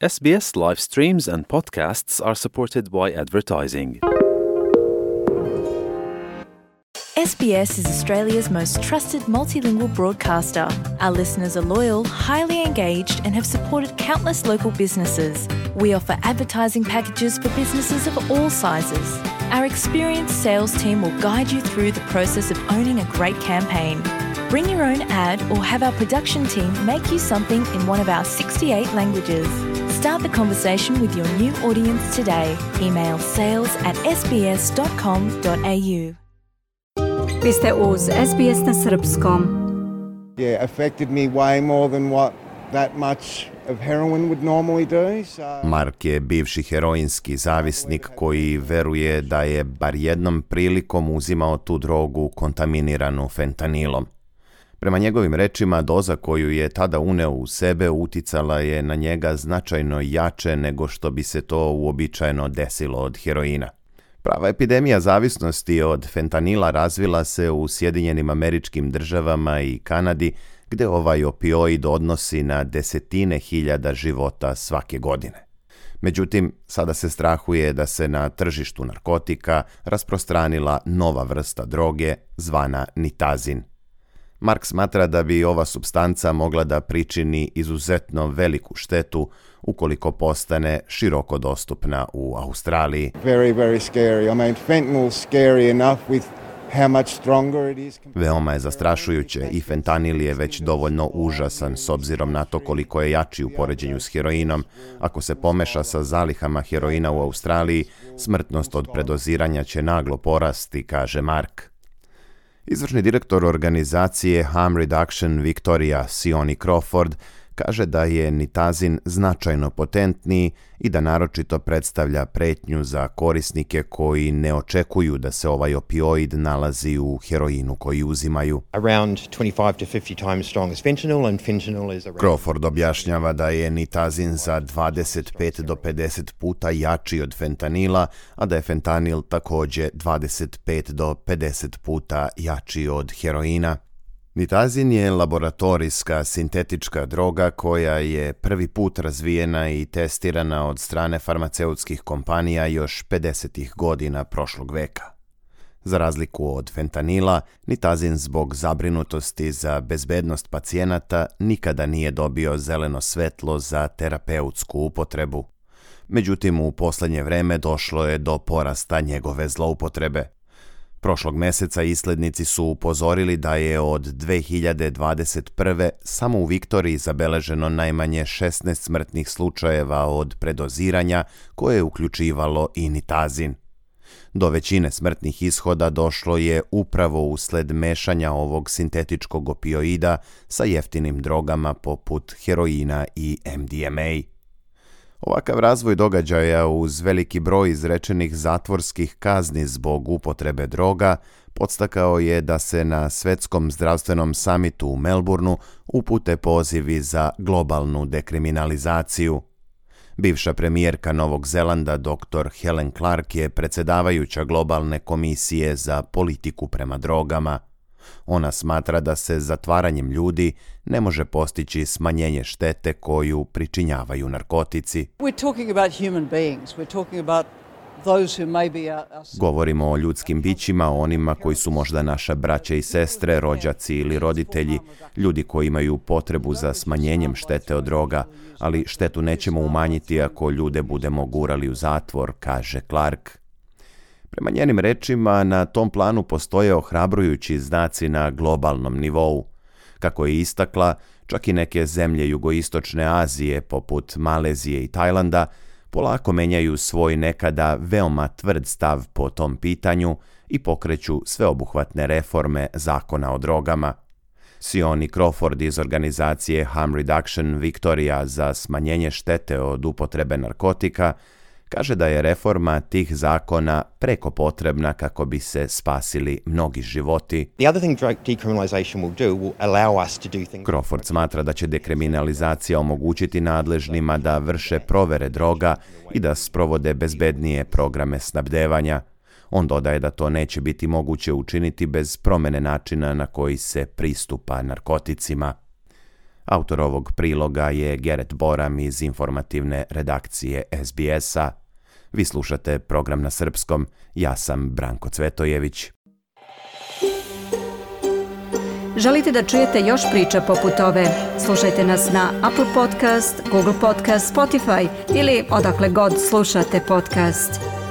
SBS live streams and podcasts are supported by advertising. SBS is Australia's most trusted multilingual broadcaster. Our listeners are loyal, highly engaged, and have supported countless local businesses. We offer advertising packages for businesses of all sizes. Our experienced sales team will guide you through the process of owning a great campaign. Bring your own ad or have our production team make you something in one of our 68 languages. Start the conversation with your new audience today. Email sales@sbs.com.au. Vi ste uz SBS na srpskom. Yeah, affected me way more than what that much of heroin would normally do. Mark je bivši heroinski zavisnik koji veruje da je bar jednom prilikom uzimao tu drogu kontaminiranu fentanilom. Prema njegovim rečima, doza koju je tada uneo u sebe uticala je na njega značajno jače nego što bi se to uobičajeno desilo od heroina. Prava epidemija zavisnosti od fentanila razvila se u Sjedinjenim Američkim Državama i Kanadi, gde ovaj opioid odnosi na desetine hiljada života svake godine. Međutim, sada se strahuje da se na tržištu narkotika rasprostranila nova vrsta droge zvana nitazin. Mark smatra da bi ova supstanca mogla da pričini izuzetno veliku štetu ukoliko postane široko dostupna u Australiji. Very, very scary. I mean, fentanyl's scary enough with how much stronger it is. Veoma je zastrašujuće i fentanil je već dovoljno užasan s obzirom na to koliko je jači u poređenju s heroinom. Ako se pomeša sa zalihama heroina u Australiji, smrtnost od predoziranja će naglo porasti, kaže Mark. Izvršni direktor organizacije Harm Reduction Victoria, Sione Crawford, kaže da je nitazin značajno potentniji i da naročito predstavlja pretnju za korisnike koji ne očekuju da se ovaj opioid nalazi u heroinu koji uzimaju. Crawford objašnjava da je nitazin za 25 do 50 puta jači od fentanila, a da je fentanil također 25 do 50 puta jači od heroina. Nitazin je laboratorijska sintetička droga koja je prvi put razvijena i testirana od strane farmaceutskih kompanija još 50. godina prošlog veka. Za razliku od fentanila, nitazin zbog zabrinutosti za bezbednost pacijenata nikada nije dobio zeleno svetlo za terapeutsku upotrebu. Međutim, u posljednje vreme došlo je do porasta njegove zloupotrebe. Prošlog meseca islednici su upozorili da je od 2021. samo u Viktoriji zabeleženo najmanje 16 smrtnih slučajeva od predoziranja koje je uključivalo i nitazin. Do većine smrtnih ishoda došlo je upravo usled mešanja ovog sintetičkog opioida sa jeftinim drogama poput heroina i MDMA. Ovakav razvoj događaja uz veliki broj izrečenih zatvorskih kazni zbog upotrebe droga podstakao je da se na Svetskom zdravstvenom samitu u Melbourneu upute pozivi za globalnu dekriminalizaciju. Bivša premijerka Novog Zelanda dr. Helen Clark je predsjedavajuća globalne komisije za politiku prema drogama. Ona smatra da se zatvaranjem ljudi ne može postići smanjenje štete koju pričinjavaju narkotici. Govorimo o ljudskim bićima, o onima koji su možda naša braća i sestre, rođaci ili roditelji, ljudi koji imaju potrebu za smanjenjem štete od droga, ali štetu nećemo umanjiti ako ljude budemo gurali u zatvor, kaže Clark. Prema njenim rečima, na tom planu postoje ohrabrujući znaci na globalnom nivou. Kako je istakla, čak i neke zemlje jugoistočne Azije, poput Malezije i Tajlanda, polako menjaju svoj nekada veoma tvrd stav po tom pitanju i pokreću sveobuhvatne reforme zakona o drogama. Sione Crawford iz organizacije Harm Reduction Victoria za smanjenje štete od upotrebe narkotika kaže da je reforma tih zakona preko potrebna kako bi se spasili mnogi životi. Crawford smatra da će dekriminalizacija omogućiti nadležnima da vrše provere droga i da sprovode bezbednije programe snabdevanja. On dodaje da to neće biti moguće učiniti bez promjene načina na koji se pristupa narkoticima. Autor ovog priloga je Geret Boram iz informativne redakcije SBS-a. Vi slušate program na srpskom, ja sam Branko Cvetojević. Želite da čujete još priča poput ove? Slušajte nas na Apple Podcast, Google Podcast, Spotify ili odakle god slušate podcast.